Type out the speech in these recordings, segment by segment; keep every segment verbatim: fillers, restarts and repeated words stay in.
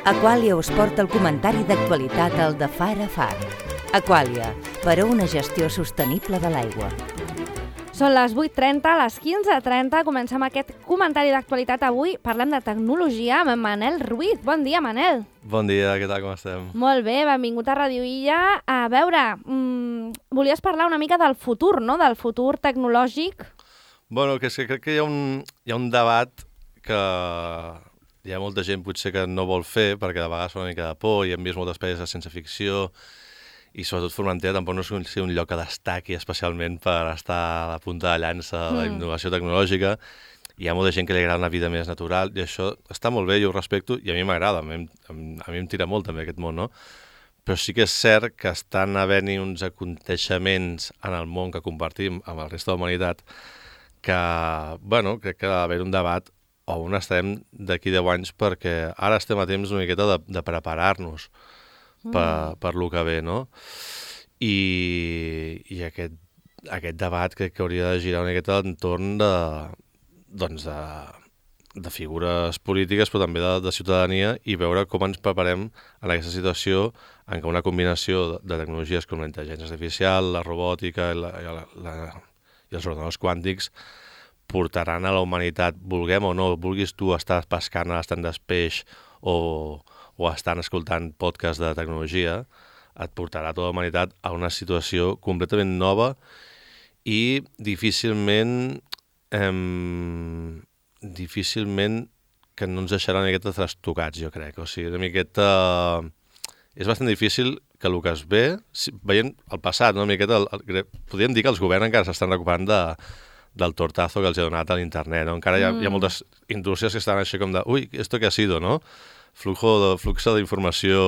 Aqualia us porta el comentari d'actualitat al de Far a Far. Aqualia, per a una gestió sostenible de l'aigua. Són les vuit trenta, a les quinze trenta comencem aquest comentari d'actualitat avui. Parlem de tecnologia amb en Manel Ruiz. Bon dia, Manel. Bon dia, què tal, com estem? Molt bé, benvingut a Radio Illa. A veure, mmm, volies parlar una mica del futur, no?, del futur tecnològic. Bueno, que és que crec que hi ha un, hi ha un debat que hi ha molta gent potser que no vol fer, perquè de vegades fa una mica de por, i hem vist moltes pel·lis de ciència ficció, i sobretot Formentera tampoc no és un lloc que destaqui especialment per estar a la punta de llança de la innovació tecnològica. Hi ha molta gent que li agrada una vida més natural, i això està molt bé, jo ho respecto, i a mi m'agrada, a, mi, a mi em tira molt també aquest món, no? Però sí que és cert que estan havent-hi uns aconteixements en el món que compartim amb el resta de la humanitat que, bueno, crec que ha d'haver un debat o on estarem d'aquí deu anys, perquè ara estem a temps una miqueta de, de preparar-nos per, per lo que ve, no? I, i aquest, aquest debat crec que hauria de girar una miqueta entorn de, doncs de, de figures polítiques, però també de, de ciutadania, i veure com ens preparem en aquesta situació en què una combinació de, de tecnologies com la intel·ligència artificial, la robòtica i, la, i, la, la, i els ordinadors quàntics portaran a la humanitat, vulguem o no, vulguis tu estar pescant a l'estant d'espeix o, o estant escoltant podcast de tecnologia, et portarà tota la humanitat a una situació completament nova i difícilment eh, difícilment que no ens deixarà una miqueta trastocats, jo crec. O sigui, una miqueta... És bastant difícil que el que es ve, veient el passat, no? Una miqueta, el, el, podríem dir que els governs encara s'estan recuperant de, del tortazo que els ha donat a l'internet, no? Encara hi ha, mm. hi ha moltes indústries que estan així com de ui, ¿esto qué ha sido, no? Flujo de, fluxo d'informació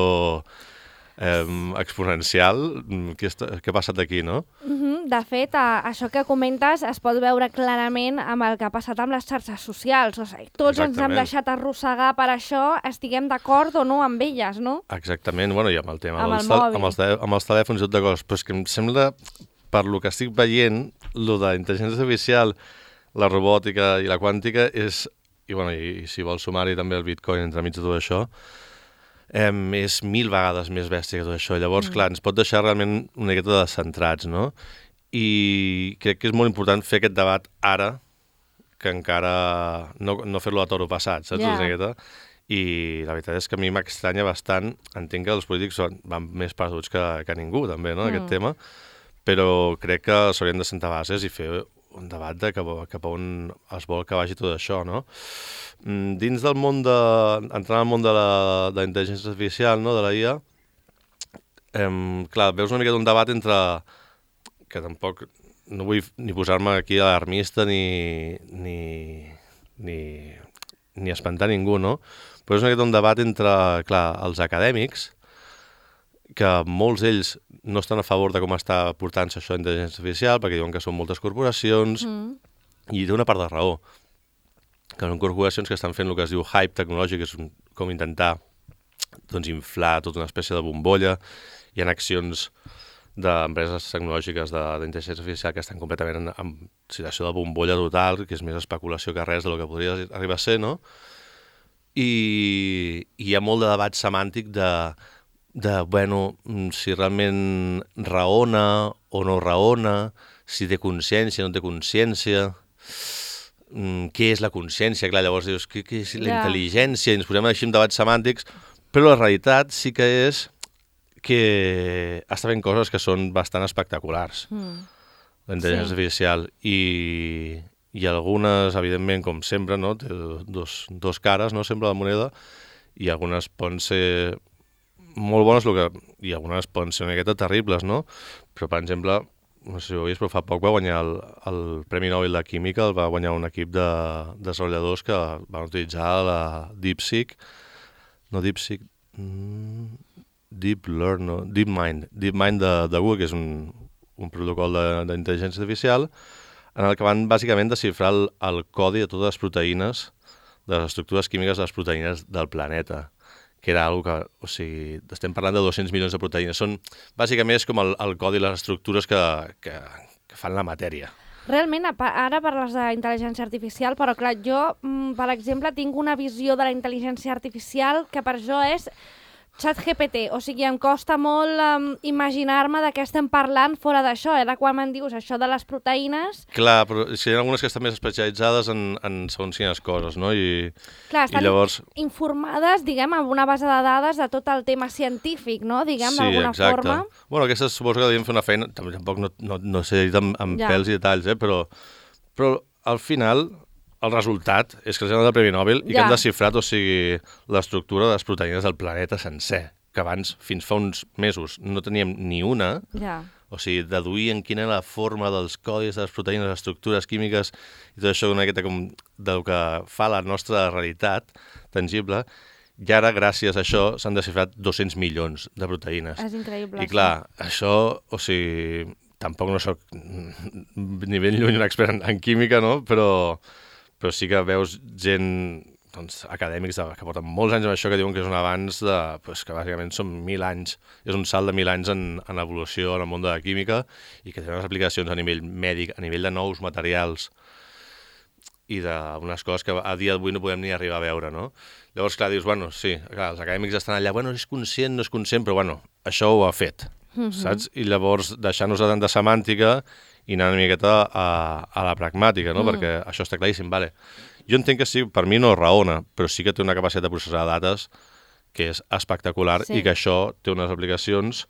eh, exponencial, què, està, què ha passat aquí, no? Mm-hmm. De fet, a, això que comentes es pot veure clarament amb el que ha passat amb les xarxes socials. O sigui, tots Exactament. Ens hem deixat arrossegar per això, estiguem d'acord o no amb elles, no? Exactament, bueno, i amb el tema amb dels, el amb, els, amb els telèfons i tot de coses, però és que em sembla, per lo que estic veient, lo de la intel·ligència artificial, la robòtica i la quàntica és, i, bueno, i, i si vols sumar-hi també el Bitcoin entremig de tot això, eh, és mil vegades més bèstia que tot això. Llavors, mm. clar, ens pot deixar realment una miqueta descentrats, no? I crec que és molt important fer aquest debat ara, que encara no, no fer-lo a toro passat, saps? Yeah. I la veritat és que a mi m'estranya bastant, entenc que els polítics van més perduts que, que ningú, també, no?, mm. aquest tema, però crec que s'haurien de sentar bases i fer un debat de cap, cap a on es vol que vagi tot això, no? Dins del món de... entrant al món de la, de la intel·ligència artificial, no?, de la I A, eh, clar, veus una mica d'un debat entre... que tampoc no vull ni posar-me aquí alarmista ni, ni, ni, ni espantar ningú, no? Però és una mica un debat entre, clar, els acadèmics, que molts d'ells no estan a favor de com està portant-se això d'intel·ligència artificial, perquè diuen que són moltes corporacions, mm. i té una part de raó, que són corporacions que estan fent el que es diu hype tecnològic, que és com intentar doncs, inflar tota una espècie de bombolla. Hi ha accions d'empreses tecnològiques d'intel·ligència artificial que estan completament en, en situació de bombolla total, que és més especulació que res del que podria arribar a ser, no? I, i hi ha molt de debat semàntic de, de, bueno, si realment raona o no raona, si té consciència o no té consciència, què és la consciència? Clar, llavors dius, què, què és la yeah. intel·ligència? I ens posem així en debats semàntics, però la realitat sí que és que està fent coses que són bastant espectaculars, mm. la intel·ligència sí. artificial, i, i algunes, evidentment, com sempre, no? Té dos, dos cares, no?, sempre la moneda, i algunes poden ser molt bones, que, i algunes poden ser una miqueta terribles, no? Però, per exemple, no sé si ho heu vist, però fa poc va guanyar el, el Premi Nobel de Química, el va guanyar un equip de desenvolupadors que van utilitzar la DeepSeek, no DeepSeek... Mm, Deep Learn, no? DeepMind, DeepMind de, de Google, que és un, un protocol d'intel·ligència artificial, en el que van bàsicament desxifrar el, el codi de totes les proteïnes, de les estructures químiques de les proteïnes del planeta, que era una cosa que, o sigui, estem parlant de dos-cents milions de proteïnes. Són, bàsicament, és com el, el codi i les estructures que, que, que fan la matèria. Realment, ara parles d'intel·ligència artificial, però clar, jo, per exemple, tinc una visió de la intel·ligència artificial que per jo és ChatGPT, o sigui, em costa molt um, imaginar-me de què estem parlant fora d'això. Ara quan me'n dius això de les proteïnes... Clar, però si hi ha algunes que estan més especialitzades en, en segons quines coses, no? I, Clar, estan i llavors... informades, diguem, amb una base de dades de tot el tema científic, no? Diguem, sí, d'alguna exacte. forma. Bueno, aquestes suposo que devíem fer una feina, tampoc no, no, no sé dir amb, amb Ja. pèls i detalls, eh? però, però al final el resultat és que els han donat el Premi Nobel i Ja. que han desxifrat, o sigui, l'estructura de les proteïnes del planeta sencer, que abans, fins fa uns mesos, no teníem ni una. Ja. O sigui, deduïen quina era la forma dels codis de les proteïnes, les estructures químiques i tot això una miqueta com del que fa la nostra realitat tangible. I ara, gràcies a això, s'han desxifrat dos-cents milions de proteïnes. És increïble. I clar, això, o sigui, tampoc no soc ni ben lluny un expert en, en química, no? Però, però sí que veus gent, doncs, acadèmics de, que porten molts anys amb això, que diuen que és un avanç de, pues, que bàsicament són mil anys, és un salt de mil anys en, en evolució en el món de la química i que té unes aplicacions a nivell mèdic, a nivell de nous materials i d'unes coses que a dia d'avui no podem ni arribar a veure, no? Llavors, clar, dius, bueno, sí, clar, els acadèmics estan allà, bueno, és conscient, no és conscient, però, bueno, això ho ha fet, mm-hmm. saps? I llavors, deixar-nos de tanta semàntica i anar una miqueta a, a la pragmàtica, no? Mm. Perquè això està claríssim, vale. Jo entenc que sí, per mi no raona, però sí que té una capacitat de processar dades que és espectacular sí. i que això té unes aplicacions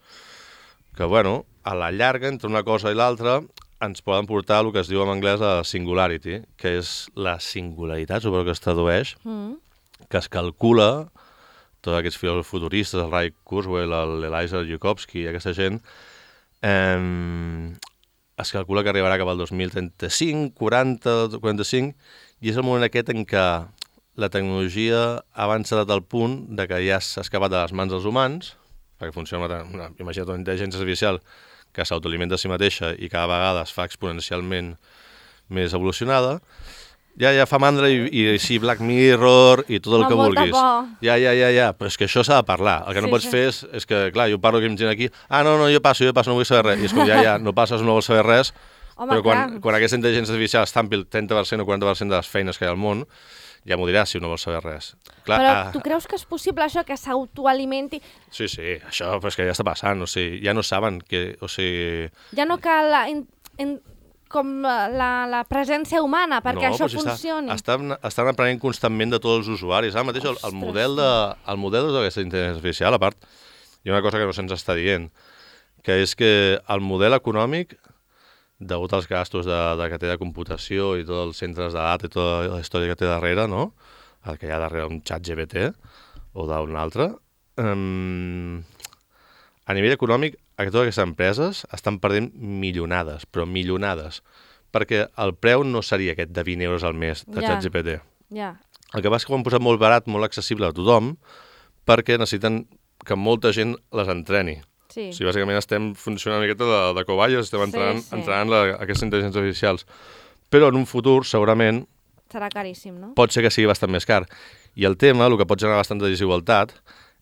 que, bueno, a la llarga, entre una cosa i l'altra, ens poden portar el que es diu en anglès a singularity, que és la singularitat, suposo que es tradueix, mm. que es calcula, tots aquests filòsofs futuristes, el Ray Kurzweil, l'Eliezer Yudkowsky i aquesta gent, eh, es calcula que arribarà cap al dos mil trenta-cinc, quaranta, quaranta-cinc, i és el moment aquest en què la tecnologia ha avançat al punt de que ja s'ha escapat de les mans dels humans, perquè funciona una, una, imagina't una intel·ligència artificial que s'autoalimenta a si mateixa i cada vegada es fa exponencialment més evolucionada, ja, ja fa mandra i, i sí, Black Mirror i tot el Amb que molta vulguis. por. Ja, ja, ja, ja, però és que això s'ha de parlar. El que Sí, no pots sí. fer és, és que, clar, jo parlo amb gent aquí, ah, no, no, jo passo, jo passo, no vull saber res. I és com, ja, ja, no passes, no vols saber res, Home, però quan, clar. quan aquesta intel·ligència artificial està en el trenta per cent o quaranta per cent de les feines que hi ha al món, ja m'ho diràs si no vols saber res. Clar, Però ah, tu creus que és possible això, que s'autoalimenti? sí, sí, això però és que ja està passant, o sigui, ja no saben que, o sigui... Ja no cal la, in, in, com la, la presència humana perquè no, això però si funcioni. Està, estan, estan aprenent constantment de tots els usuaris. Ara mateix el, el Ostres, model de, el model d'aquesta intel·ligència artificial, a part, hi ha una cosa que no se'ns està dient, que és que el model econòmic, degut als gastos de, de que té de computació i tots els centres de data i tota la història que té darrere, no? El que hi ha darrere un xat G P T o d'un altre, um, a nivell econòmic, totes aquestes empreses estan perdent milionades, però milionades, perquè el preu no seria aquest de vint euros al mes de Ja. xat G P T. Ja. El que passa és que ho han posat molt barat, molt accessible a tothom, perquè necessiten que molta gent les entreni. Sí. O sigui, bàsicament estem funcionant una miqueta de, de cobayes, estem entrenant, Sí, sí. entrenant la, aquestes intel·ligències artificials. Però en un futur, segurament, Serà caríssim, no? pot ser que sigui bastant més car. I el tema, el que pot generar bastanta desigualtat,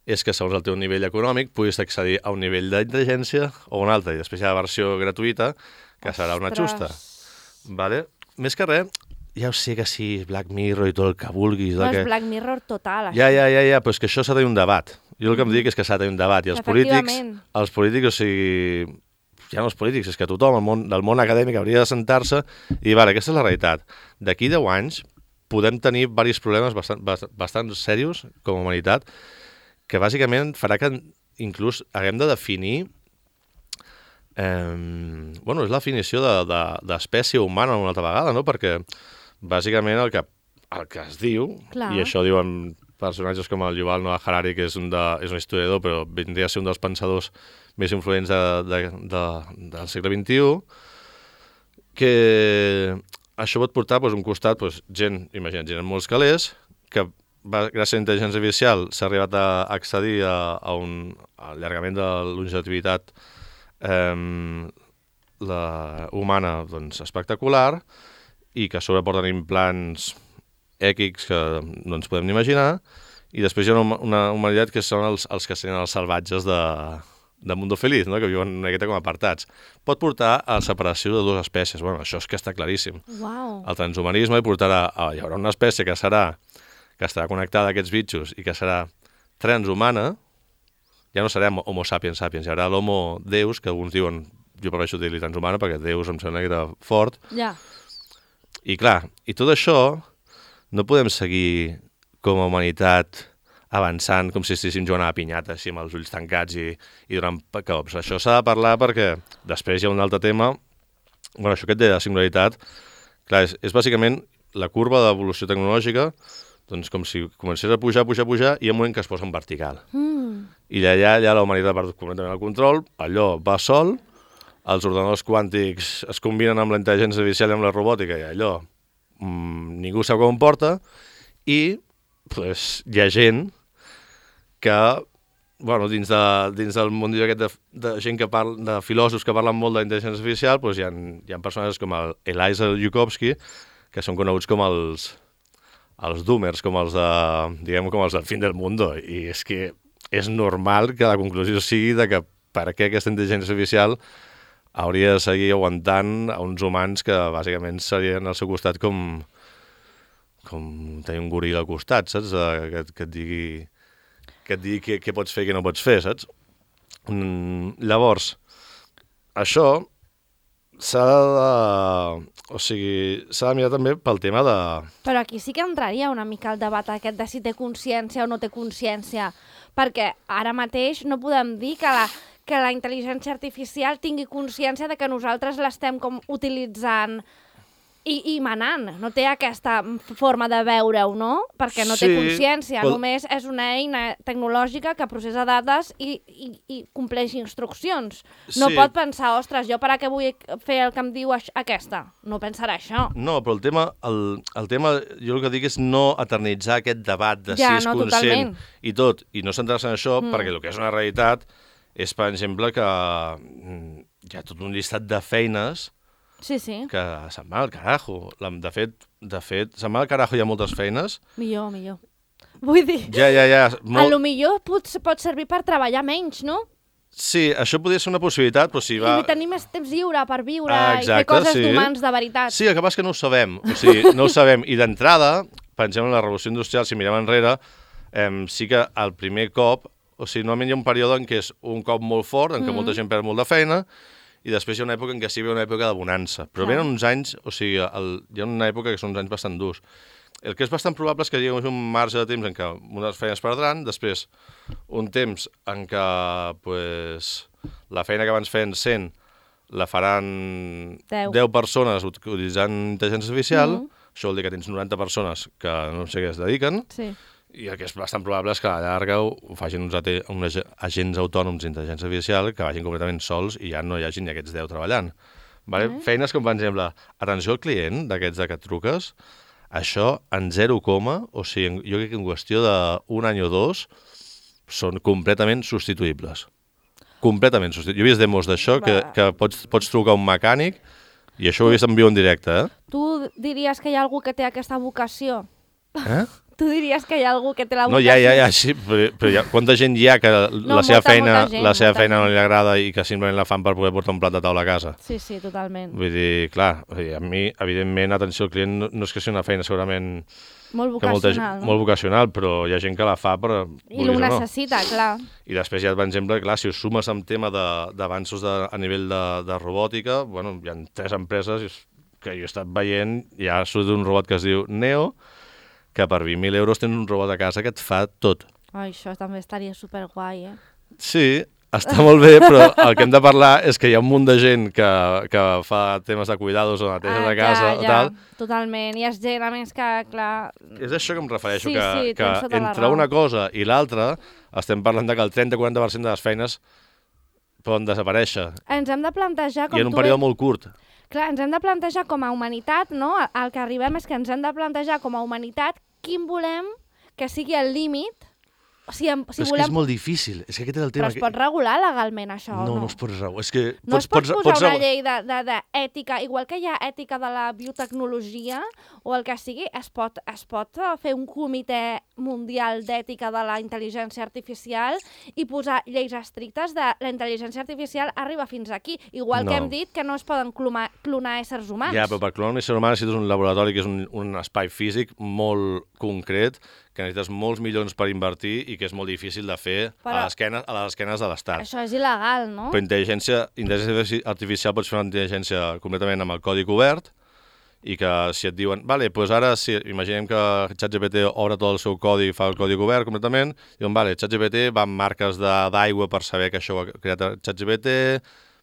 és que segons el teu nivell econòmic puguis accedir a un nivell d'intel·ligència o un altre, i després hi ha la versió gratuïta, que serà una xusta. Vale? Més que res, ja ho sé que sí, Black Mirror i tot el que vulguis. No, que... és Black Mirror total, això. Ja, ja, ja, ja, però és que això s'ha de tenir un debat. Jo el que em dic és que s'ha de tenir un debat, i els polítics, Efectivament. els polítics, o sigui, ja no els polítics, és que tothom el món, del món acadèmic hauria de sentar-se i dir, vale, aquesta és la realitat. D'aquí deu anys podem tenir diversos problemes bastant, bastant, bastant serios com a humanitat, que bàsicament farà que inclús haguem de definir eh, bueno, és la definició d'espècie de, de, humana una altra vegada, no? Perquè bàsicament el que, el que es diu, Clar. i això diuen personatges com el Yuval Noah Harari, que és un, de, és un historiador, però vindria a ser un dels pensadors més influents de, de, de, del segle vint-i-u, que això pot portar doncs, un costat, doncs, gent, imagina't, gent amb molts calés, que va, gràcies a la intel·ligència artificial s'ha arribat a accedir a, a un allargament de longevitivitat eh, la humana doncs, espectacular, i que a sobre porten implants èquics que no ens podem ni imaginar, i després hi ha una, una humanitat que són els, els que serien els salvatges de, de Mundo Feliz, no? Que viuen una miqueta com apartats. Pot portar a la separació de dues espècies. Bueno, això és que està claríssim. Uau. El transhumanisme portarà a... Hi haurà una espècie que serà que estarà connectada a aquests bitxos i que serà transhumana. Ja no serem homo sapiens sapiens, hi haurà l'homo deus, que alguns diuen, jo prefereixo dir-li transhumana, perquè deus em sembla que era fort. Ja. I clar, i tot això no podem seguir com a humanitat avançant com si estiguéssim jugant a la pinyata, així amb els ulls tancats i, i donant cops. Això s'ha de parlar perquè després hi ha un altre tema. Bueno, això que et deia de singularitat, clar, és, és bàsicament la curva d'evolució tecnològica, doncs com si comencés a pujar, pujar, pujar, i hi ha un moment que es posa en vertical. Mm. I allà, allà la humanitat perd completament el control, allò va sol, els ordenadors quàntics es combinen amb la intel·ligència artificial i amb la robòtica, i allò mmm, ningú sap com porta, i pues, hi ha gent que, bueno, dins, de, dins del mundillo aquest de, de gent que parla, de filòsofs que parlen molt d'intel·ligència artificial, pues, hi ha, hi ha personatges com el Eliezer Yudkowsky, que són coneguts com els, els doomers, com els de, diguem, com els del fin del mundo, i és que és normal que la conclusió sigui de que per què aquesta intel·ligència artificial hauria de seguir aguantant a uns humans que bàsicament serien al seu costat com, com tenir un goril al costat, saps? Que, que et digui que et digui què, què pots fer i què no pots fer, saps? Mm, llavors, això s'ha de... O sigui, s'ha de mirar també pel tema de... Però aquí sí que entraria una mica el debat aquest de si té consciència o no té consciència, perquè ara mateix no podem dir que la, que la intel·ligència artificial tingui consciència de que nosaltres l'estem com utilitzant i, i manant. No té aquesta forma de veure-ho, no? Perquè no Sí, té consciència, però- només és una eina tecnològica que processa dades i, i, i compleix instruccions. No Sí. pot pensar, ostres, jo per a què vull fer el que em diu aix- aquesta? No pensarà això. No, però el tema, el, el tema, jo el que dic és no eternitzar aquest debat de Ja, si és no, conscient totalment. i tot, i no centrar-se en això, mm. perquè el que és una realitat és, per exemple, que mm, hi ha tot un llistat de feines Sí, sí. que se'n va al carajo. La- De fet, de fet, se'n va al carajo, hi ha moltes feines. Millor, millor. Vull dir, Ja, ja, ja. a Molt... lo millor pot, pot servir per treballar menys, no? Sí, això podria ser una possibilitat, però si va... I tenir més temps lliure per viure Ah, i fer exacte, coses sí. d'humans de veritat. Sí, el que passa és que no ho sabem. O sigui, no ho sabem. I d'entrada, pensem en la revolució industrial, si mirem enrere, eh, sí que el primer cop, o sigui, normalment hi ha un període en què és un cop molt fort, en què Mm. molta gent perd molt de feina, i després hi ha una època en què sí ve una època de bonança. Però Clar. venen uns anys, o sigui, el, hi ha una època que són uns anys bastant durs. El que és bastant probable és que hi hagi un marge de temps en què unes feines perdran, després un temps en què pues, la feina que abans feien cent la faran Deu. deu persones utilitzant intel·ligència artificial, Mhm. això vol dir que tens noranta persones que no sé què es dediquen, Sí. i el que és bastant probable és que a la llarga ho ho facin uns, ate- uns ag- agents autònoms d'intel·ligència artificial que vagin completament sols i ja no hi hagin ni aquests deu treballant. Vale? Mm. Feines com, per exemple, atenció al client d'aquests de que et truques, això en zero coma, o sigui, en- jo crec que en qüestió d'un any o dos són completament substituïbles. Completament substituïbles. Jo he vist demos d'això que, Va. que pots, pots trucar a un mecànic i això ho he vist en viu en directe, eh? Tu diries que hi ha algú que té aquesta vocació? Eh? Tu diries que hi ha algú que té la No, vocació? ja, ja, ja, sí, però, però ja, quanta gent hi ha que No, la seva molta, feina, molta gent, la seva molta feina no gent. li agrada i que simplement la fan per poder portar un plat de taula a casa? Sí, sí, totalment. Vull dir, clar, o sigui, a mi, evidentment, atenció al client no, no és que sigui una feina segurament Molt que molta, vocacional, gent- no? molt vocacional, però hi ha gent que la fa per... I vulguis ho o no. necessita, clar. I després hi ha, per exemple, clar, si us sumes amb tema de- d'avanços de, a nivell de, de robòtica, bueno, hi ha tres empreses i és- que jo he estat veient, hi ha surt un robot que es diu Neo, que per vint mil euros tens un robot a casa que et fa tot. Ai, això també estaria superguai, eh? Sí, està molt bé, però el que hem de parlar és que hi ha un munt de gent que, que fa temes de cuidados o neteja de casa ja, o ja, tal. totalment. I és gent, a més, que, clar... És això que em refereixo, Sí, que, sí, que tens tota la entre raó. una cosa i l'altra estem parlant de que el trenta quaranta per cent de les feines poden desaparèixer Ens hem de plantejar, com i en un tu període bé- molt curt. Clar, ens hem de plantejar com a humanitat, no? El que arribem és que ens hem de plantejar com a humanitat quin volem que sigui el límit si, em, si però és volem... que és molt difícil. És que aquest és el tema. Però es pot regular legalment, això, no, o no? No es pot regular. És que no pots, es pot pots, posar pots una regu... llei d'ètica, igual que hi ha ètica de la biotecnologia o el que sigui, es pot, es pot fer un comitè mundial d'ètica de la intel·ligència artificial i posar lleis estrictes de la intel·ligència artificial arriba fins aquí. Igual No. que hem dit que no es poden clonar, clonar éssers humans. Ja, però per clonar un ésser humà necessites un laboratori que és un, un espai físic molt concret, que necessites molts milions per invertir i que és molt difícil de fer Però... a, les esquenes, a les esquenes de l'Estat. Això és il·legal, no? Però intel·ligència, intel·ligència artificial pots fer una intel·ligència completament amb el codi obert i que si et diuen, vale, doncs ara si, imaginem que ChatGPT obre tot el seu codi i fa el codi obert completament, diuen, vale, ChatGPT va amb marques d'aigua per saber que això ho ha creat ChatGPT,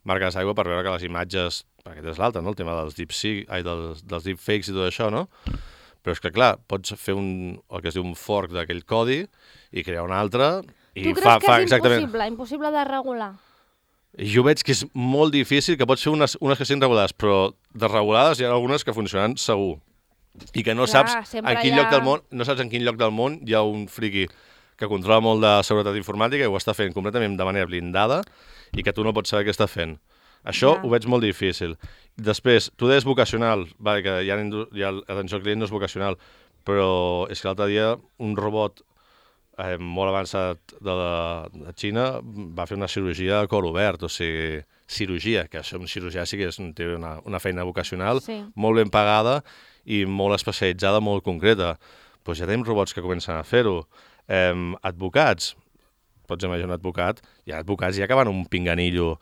marques d'aigua per veure que les imatges, aquest és l'altre, no? El tema dels deepseek, ai, dels, dels deepfakes i tot això, no? Però és que, clar, pots fer un, el que es diu un fork d'aquell codi i crear un altre i tu creus fa, que fa és exactament... impossible, impossible de regular? Jo veig que és molt difícil, que pots fer unes, unes que siguin regulades, però desregulades hi ha algunes que funcionen segur. I que no Clar, saps en sempre quin hi ha- lloc del món, no saps en quin lloc del món hi ha un friqui que controla molt de seguretat informàtica i ho està fent completament de manera blindada i que tu no pots saber què està fent. Això Ja. ho veig molt difícil. Després, tu deies vocacional, vale, que hi ha, hi ha l'atenció al client no és vocacional, però és que l'altre dia un robot eh, molt avançat de, la, de Xina va fer una cirurgia a cor obert, o sigui, cirurgia, que això un cirurgià sí que és, té una, una feina vocacional, Sí. molt ben pagada i molt especialitzada, molt concreta. Doncs ja tenim robots que comencen a fer-ho. Eh, advocats, pots imaginar un advocat, hi ha advocats ja que van un pinganillo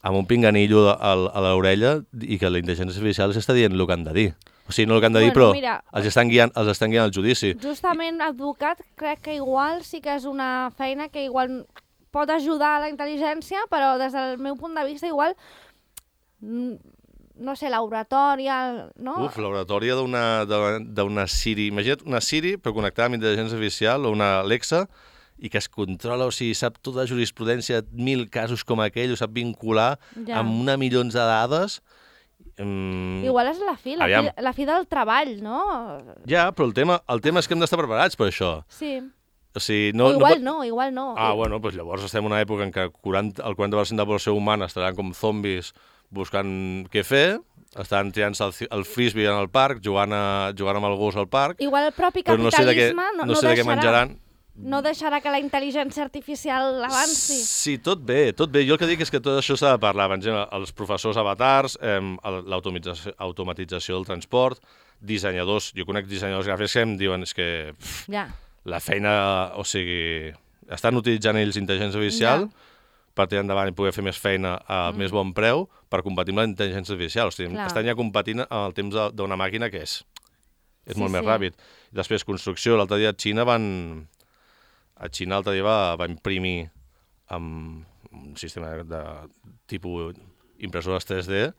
amb un pinganillo a, a l'orella i que la intel·ligència artificial els està dient el que han de dir. O sigui, no el que han de dir, Bueno, però mira, els estan guiant, els estan guiant al judici. Justament advocat crec que igual sí que és una feina que igual pot ajudar a la intel·ligència, però des del meu punt de vista igual, mm, no sé, l'oratòria, no? Uf, l'oratòria d'una d'una Siri. Imagina't una Siri, però connectada amb intel·ligència artificial, o una Alexa, i que es controla, o sigui, sap tota la jurisprudència, mil casos com aquell, ho sap vincular Ja. amb una milions de dades. Mm, Igual és la fi, la, Aviam. fi, la fi del treball, no? Ja, però el tema, el tema és que hem d'estar preparats per això. Sí. O sigui, No, no, o igual no, no, igual no. Ah, bueno, doncs llavors estem en una època en què quaranta, el quaranta per cent de la població humana estaran com zombis buscant què fer, estan tirant-se el, el frisbee en el parc, jugant, a, jugant amb el gos al parc, Igual el propi però no sé de què, capitalisme no, no sé de què deixarà, menjaran. no deixarà que la intel·ligència artificial avanci. Sí, tot bé, tot bé. Jo el que dic és que tot això s'ha de parlar. Per exemple, els professors avatars, eh, l'automatització automatització del transport, dissenyadors, jo conec dissenyadors gràfics que em diuen és que pff, Ja. la feina, o sigui, estan utilitzant ells intel·ligència artificial Ja. per tirar endavant i poder fer més feina a mm. més bon preu per competir amb la intel·ligència artificial. O sigui, Clar. estan ja competint en el temps de- d'una màquina que és, és Sí, molt més sí. ràpid. Després, construcció. L'altre dia a Xina van... A Xina l'altre dia va, va imprimir amb un sistema de, de tipus impressores tres D,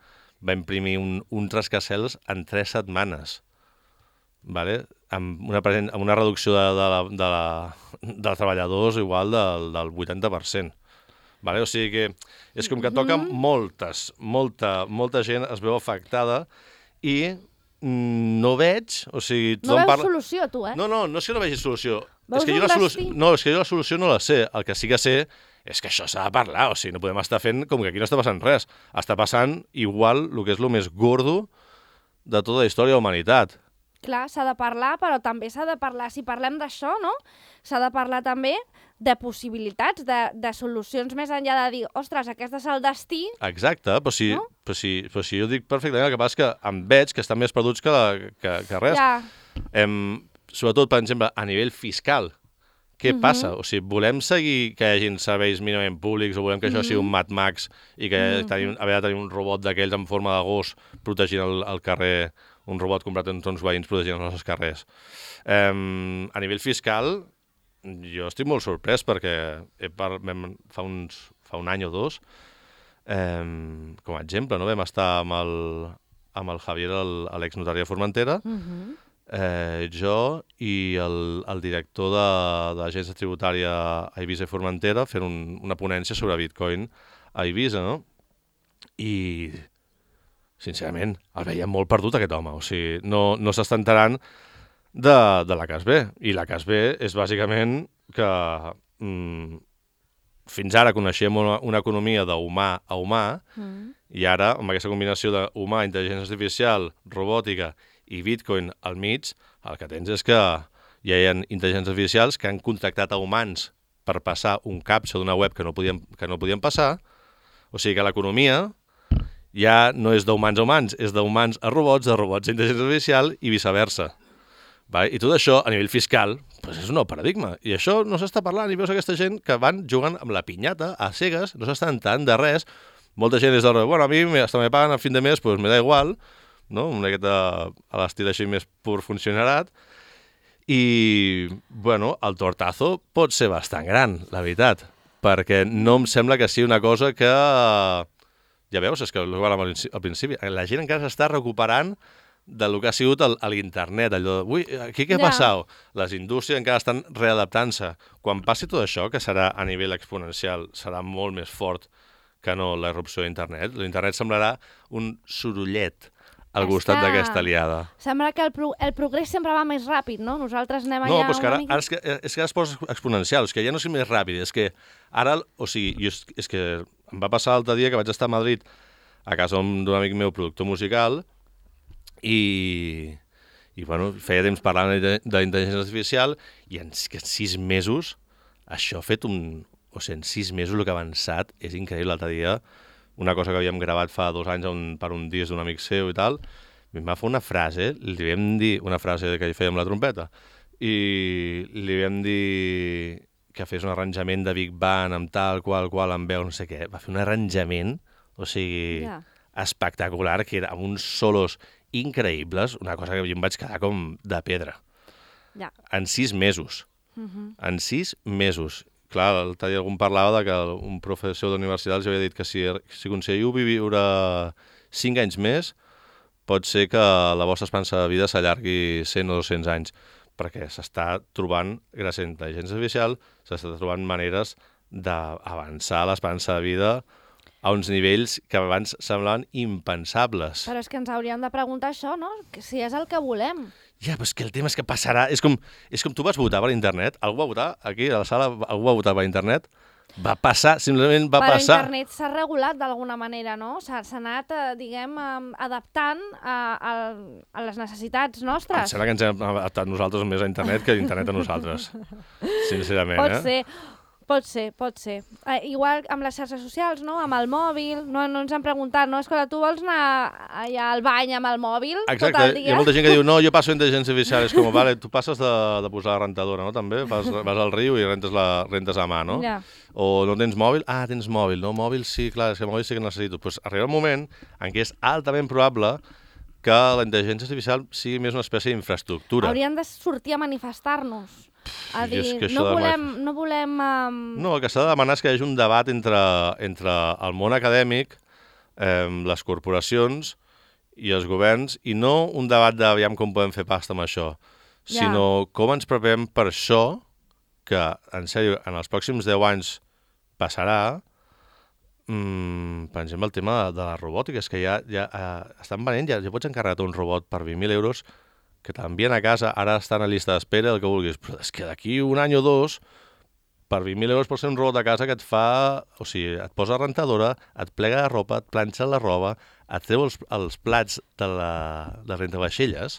va imprimir un, un rascacels en tres setmanes, vale? amb, una present, amb una reducció de, de, la, de, la, de treballadors igual del, del vuitanta per cent. Vale? O sigui que és com que toca Mhm. moltes, molta, molta gent es veu afectada i mm, no veig, o sigui... No tothom veus solució, tu, eh? No, no, no és que no vegi solució. Veus És que jo un la solució... destí? No, és que jo la solució no la sé. El que sí que sé és que això s'ha de parlar, o sigui, no podem estar fent com que aquí no està passant res. Està passant igual el que és el més gordo de tota la història de la humanitat. Clar, s'ha de parlar, però també s'ha de parlar, si parlem d'això, no? S'ha de parlar també de possibilitats, de, de solucions més enllà de dir, ostres, aquest és el destí. Exacte, però si, No? però si, però si jo dic perfectament, el que passa és que em veig que estan més perduts que, la, que, que res. Ja, Em, sobretot, per exemple, a nivell fiscal. Què Mhm. passa? O sigui, volem seguir que hi hagi serveis mínimament públics o volem que això Mhm. sigui un Mad Max i que Mhm. tenim, haver de tenir un robot d'aquells en forma de gos protegint el, el carrer, un robot comprat entre uns veïns protegint els nostres carrers. Um, a nivell fiscal, jo estic molt sorprès perquè he par... vam, fa, uns, fa un any o dos, um, com a exemple, no? Vam estar amb el, amb el Javier, l'exnotari de Formentera, mhm, eh, jo i el, el director de, de l'agència tributària a Eivissa i Formentera fent un, una ponència sobre Bitcoin a Eivissa, no? I, sincerament, el veiem molt perdut aquest home. O sigui, no, no s'està enterant de, de la C A S B. I la C A S B és bàsicament que mm, fins ara coneixíem una, una economia d'humà a humà, mm. i ara, amb aquesta combinació d'humà, intel·ligència artificial, robòtica i Bitcoin al mig, el que tens és que ja hi ha intel·ligències artificials que han contactat a humans per passar un captcha d'una web que no podien, que no podien passar. O sigui que l'economia ja no és d'humans a humans, és d'humans a robots, de robots a intel·ligència artificial i viceversa. Vale? I tot això, a nivell fiscal, doncs és un nou paradigma. I això no s'està parlant, i veus aquesta gent que van jugant amb la pinyata, a cegues, no s'estan enterant de res. Molta gent és de, bueno, a mi hasta me paguen a fin de mes, doncs me da igual, no? Una miqueta a l'estil així més pur funcionarat. I, bueno, el tortazo pot ser bastant gran, la veritat, perquè no em sembla que sigui una cosa que... Ja veus, és que al principi la gent encara s'està recuperant del que ha sigut l'internet, allò de, ui, aquí què ha passat? Les indústries encara estan readaptant-se. Quan passi tot això, que serà a nivell exponencial, serà molt més fort que no la irrupció d'internet. L'internet semblarà un sorollet al costat que... d'aquesta aliada. Sembla que el, pro el progrés sempre va més ràpid, no? Nosaltres anem allà... No, però és que ara, mica... ara és, que, és que ara es posa exponencial, és que ja no és més ràpid, és que ara, o sigui, jo, és que em va passar l'altre dia que vaig estar a Madrid a casa d'un amic meu, productor musical, i, i bueno, feia temps parlant de, de l'intel·ligència artificial, i en, en sis mesos, això ha fet un... O sigui, en sis mesos el que ha avançat és increïble. L'altre dia, una cosa que havíem gravat fa dos anys un, per un disc d'un amic seu i tal, em va fer una frase, li vam dir, una frase que fèiem la trompeta, i li vam dir que fes un arranjament de Big Band amb tal, qual, qual, amb veu, no sé què. Va fer un arranjament, o sigui, yeah. espectacular, que era amb uns solos increïbles, una cosa que jo em vaig quedar com de pedra. Yeah. En sis mesos. Uh-huh. En sis mesos. Clar, l'altre dia algú parlava de que un professor d'universitat els havia dit que si, si aconseguiu viure cinc anys més, pot ser que la vostra esperança de vida s'allargui cent o dos-cents anys, perquè s'està trobant, gràcies a la intel·ligència artificial, s'està trobant maneres d'avançar l'esperança de vida a uns nivells que abans semblaven impensables. Però és que ens hauríem de preguntar això, no? Que si és el que volem. Ja, però és que el tema és que passarà... És com, és com tu vas votar per internet, algú va votar, aquí a la sala, algú va votar per internet, va passar, simplement va però passar... Però internet s'ha regulat d'alguna manera, no? S'ha anat, eh, diguem, eh, adaptant a, a, a les necessitats nostres. Em sembla que ens hem adaptat nosaltres més a internet que internet a nosaltres, sincerament. Pot eh? ser. Pot ser, pot ser. Eh, igual amb les xarxes socials, no? Amb el mòbil, no, no ens han preguntat, no? Escolta, tu vols anar allà al bany amb el mòbil Exacte. tot el dia? Hi ha molta gent que diu, no, jo passo intel·ligència artificial, és com, vale, tu passes de, de posar la rentadora, no? També vas, vas al riu i rentes, la, rentes a mà, no? Ja. O no tens mòbil? Ah, tens mòbil, no? Mòbil sí, clar, és que mòbil sí que necessito. Pues arriba un moment en què és altament probable que la intel·ligència artificial sigui més una espècie d'infraestructura. Hauríem de sortir a manifestar-nos. A dir, no volem... No, volem um... no, el que s'ha de demanar és que hi hagi un debat entre, entre el món acadèmic, eh, les corporacions i els governs, i no un debat d'aviam com podem fer pasta amb això, ja. sinó com ens preparem per això, que, en sèrio, en els pròxims deu anys passarà, mm, per exemple, el tema de, de la robòtica, és que ja, ja eh, estan venent, ja, ja pots encarregar un robot per vint mil euros, que t'envien a casa, ara estan a llista d'espera, el que vulguis, però és que d'aquí un any o dos, per vint mil euros pot ser un robot a casa que et fa... O sigui, et posa rentadora, et plega la roba, et planxa la roba, et treu els, els plats de la, de rentavaixelles.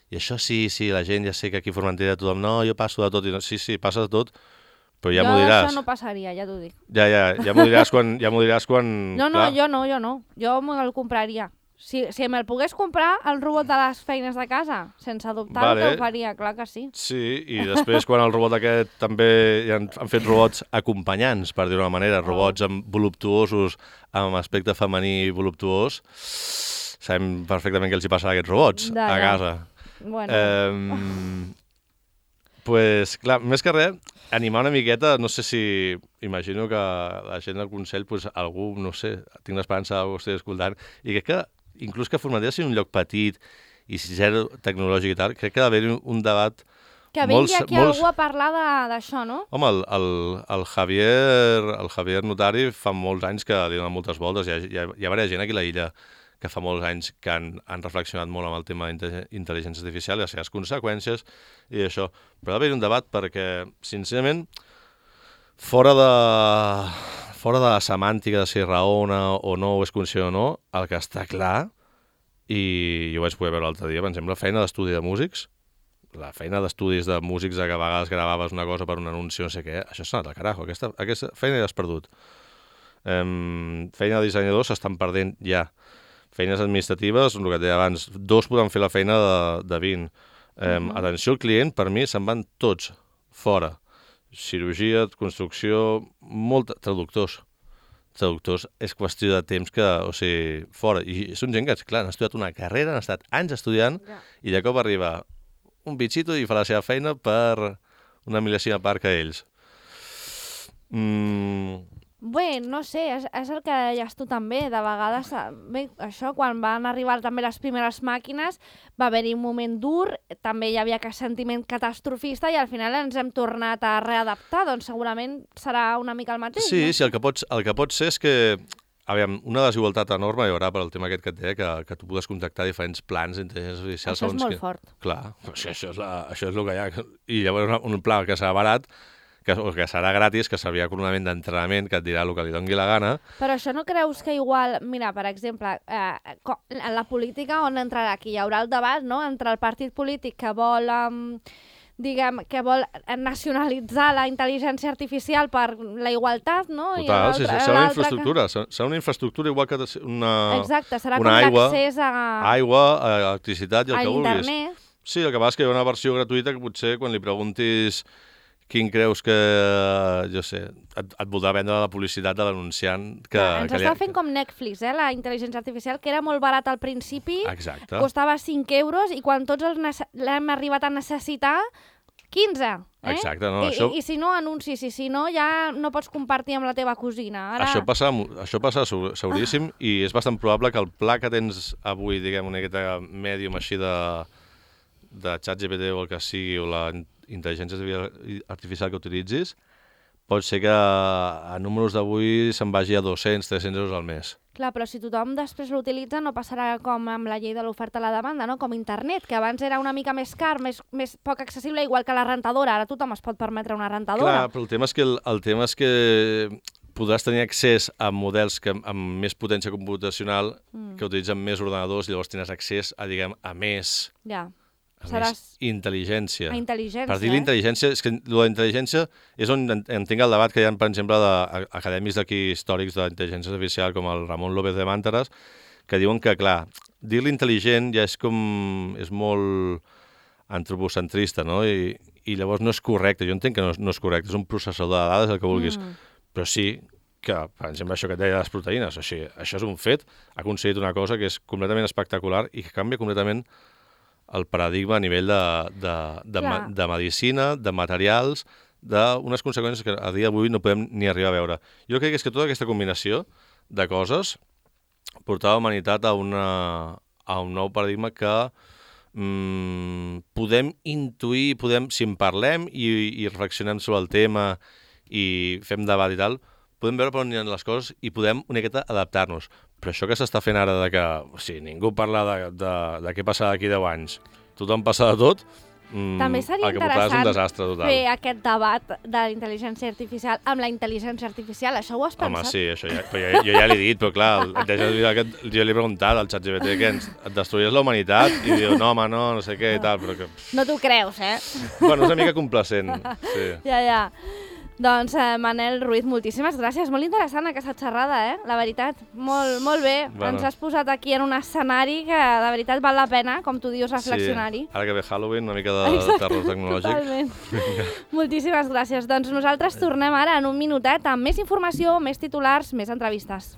I això sí, sí, la gent ja sé que aquí a Formentera tothom, no, jo passo de tot, i no, sí, sí, passes de tot, però ja m'ho diràs. Jo això no passaria, ja t'ho dic. Ja, ja, ja m'ho diràs quan... Ja m'ho diràs quan no, no, clar. jo no, jo no. Jo me'l compraria. Si, si me'l pogués comprar, el robot de les feines de casa, sense dubtar vale. Que ho faria, clar que sí. Sí, i després quan el robot aquest també ja han, han fet robots acompanyants, per dir-ho d'una manera, oh. robots amb voluptuosos, amb aspecte femení voluptuós, sabem perfectament què els hi passarà a aquests robots de, a casa. Bueno. Eh, pues, clar, més que res, animar una miqueta, no sé si... Imagino que la gent del Consell, pues, algú, no sé, tinc l'esperança que ho estigui escoltant, i crec que inclús que Formentera sigui un lloc petit i zero tecnològic i tal, crec que ha d'haver un debat... Que vingui aquí molts... algú a parlar d'això, no? Home, el, el, el, Javier, el Javier Notari fa molts anys que li dona moltes voltes. Hi ha, hi ha, hi ha diversa gent aquí a l'illa que fa molts anys que han, han reflexionat molt amb el tema d'intel·ligència artificial i les seves conseqüències i això. Però ha d'haver un debat perquè, sincerament, fora de, fora de la semàntica de si raona o no, o és conscient o no, el que està clar, i jo vaig poder veure l'altre dia, per exemple, feina d'estudi de músics, la feina d'estudis de músics que a vegades gravaves una cosa per un anunci, no sé què, això s'ha anat al carajo, aquesta, aquesta feina ja has perdut. Um, feina de dissenyadors s'estan perdent ja. Feines administratives, el que et deia abans, dos poden fer la feina de, de vint. Um, uh-huh. Atenció al client, per mi, se'n van tots fora. Cirurgia, construcció, molt... Traductors. Traductors és qüestió de temps que, o sigui, fora. I són gent que, clar, han estudiat una carrera, han estat anys estudiant, yeah. I de cop arriba un bitxito i fa la seva feina per una mil·lèsima part que ells. Mm... Bé, no sé, és, és el que deies tu també, de vegades, bé, això, quan van arribar també les primeres màquines, va haver-hi un moment dur, també hi havia aquest sentiment catastrofista i al final ens hem tornat a readaptar, doncs segurament serà una mica el mateix. Sí, no? sí, el que, pots, el que pot ser és que, aviam, una desigualtat enorme hi haurà per al tema aquest que et deia, que, que tu pugues contactar diferents plans d'intel·ligència artificial. Això és molt que... fort. Clar, això, això, és la, això és el que hi ha. I llavors un pla que serà barat, que, o que serà gratis, que servirà com un element d'entrenament que et dirà el que li doni la gana. Però això no creus que igual, mira, per exemple, eh, en la política on entrarà aquí? Hi haurà el debat, no?, entre el partit polític que vol, eh, diguem, que vol nacionalitzar la intel·ligència artificial per la igualtat, no? Total, sí, serà una infraestructura, que... serà una infraestructura igual que una, exacte, serà una com aigua, l'accés a... aigua, a electricitat i el a que internet. vulguis. Sí, el que passa és que hi ha una versió gratuïta que potser quan li preguntis quin creus que, jo sé, et, et voldrà vendre la publicitat de l'anunciant que... Ja, ens que està li... fent com Netflix, eh, la intel·ligència artificial, que era molt barat al principi, exacte. Costava cinc euros i quan tots els l'hem arribat a necessitar, quinze. Eh? Exacte, no, I, això... I, I si no, anuncis, i si no, ja no pots compartir amb la teva cosina. Ara... Això passa, això passa seguríssim ah. I és bastant probable que el pla que tens avui, diguem, una miqueta mèdium així de, de ChatGPT o el que sigui, o la intel·ligència artificial que utilitzis, pot ser que a números d'avui se'n vagi a dos-cents, tres-cents euros al mes. Clar, però si tothom després l'utilitza no passarà com amb la llei de l'oferta a la demanda, no? Com internet, que abans era una mica més car, més, més poc accessible, igual que la rentadora. Ara tothom es pot permetre una rentadora. Clar, però el tema és que, el, el tema és que podràs tenir accés a models que, amb més potència computacional mm. que utilitzen més ordenadors i llavors tindràs accés a, diguem, a més... Ja. A Seràs... més intel·ligència. A intel·ligència, per dir l'intel·ligència, és que la intel·ligència és on entenc el debat que hi ha, per exemple, d'acadèmics d'aquí històrics d'intel·ligència artificial, com el Ramon López de Màntares, que diuen que, clar, dir-li intel·ligent ja és com... és molt antropocentrista, no? I, i llavors no és correcte. Jo entenc que no és, no és correcte, és un processador de dades, el que vulguis. Mm. Però sí que, per exemple, això que et deia de les proteïnes, així, això és un fet, ha aconseguit una cosa que és completament espectacular i que canvia completament el paradigma a nivell de, de, de, ma, de medicina, de materials, d'unes conseqüències que a dia d'avui no podem ni arribar a veure. Jo crec que és que tota aquesta combinació de coses portarà la humanitat a, una, a un nou paradigma que mm, podem intuir, podem, si en parlem i, i reflexionem sobre el tema i fem debat i tal, podem veure per on hi ha les coses i podem una miqueta adaptar-nos. Però això que s'està fent ara de que o sigui, ningú parla de, de, de què passarà d'aquí deu anys, tothom passa de tot, mm, també seria el que portarà és un desastre total. Fer aquest debat de la intel·ligència artificial amb la intel·ligència artificial, això ho has pensat? Home, sí, això ja, però jo, jo ja l'he dit, però clar, el, jo li he preguntat al ChatGPT que ens et destruies la humanitat i diu, no, home, no, no sé què i tal, però que... No t'ho creus, eh? Bueno, és una mica complacent, sí. Ja, ja. Doncs, eh, Manel Ruiz, moltíssimes gràcies. Molt interessant aquesta xerrada, eh? La veritat, molt, molt bé. Bueno. Ens has posat aquí en un escenari que, de veritat, val la pena, com tu dius, reflexionar-hi. Sí, ara que ve Halloween, una mica de Exacte. Terror tecnològic. Totalment. Moltíssimes gràcies. Doncs nosaltres tornem ara en un minutet amb més informació, més titulars, més entrevistes.